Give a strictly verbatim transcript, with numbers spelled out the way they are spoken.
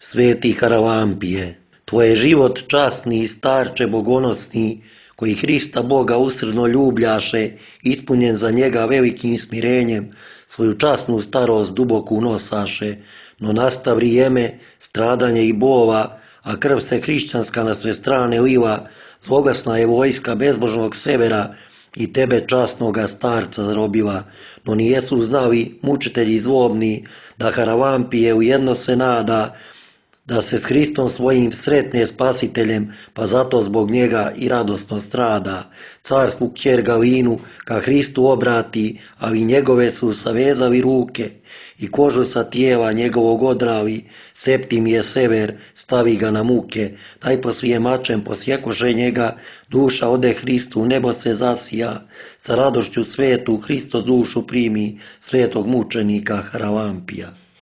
Sveti Haralampije, tvoj je život časni, starče bogonosni, koji Hrista Boga usrdno ljubljaše, ispunjen za njega velikim smirenjem, svoju časnu starost duboku nosaše, no nasta vrijeme, stradanje i bova, a krv se hrišćanska na sve strane liva, zloglasna je vojska bezbožnog severa i tebe časnoga starca zarobila, no nijesu znali mučitelji zlobni, da Haralampije ujedno se nada, da se s Hristom svojim sretne spasiteljem, pa zato zbog njega i radosno strada. Carsku kćer Galinu ka Hristu obrati, ali njegove su savezali ruke i kožu sa tijela njegovog odrali, Septim je sever, stavi ga na muke, najposlije mačem posjekoše njega, duša ode Hristu, nebo se zasija, sa radošću svetu Hristos dušu primi svetog mučenika Haralampija.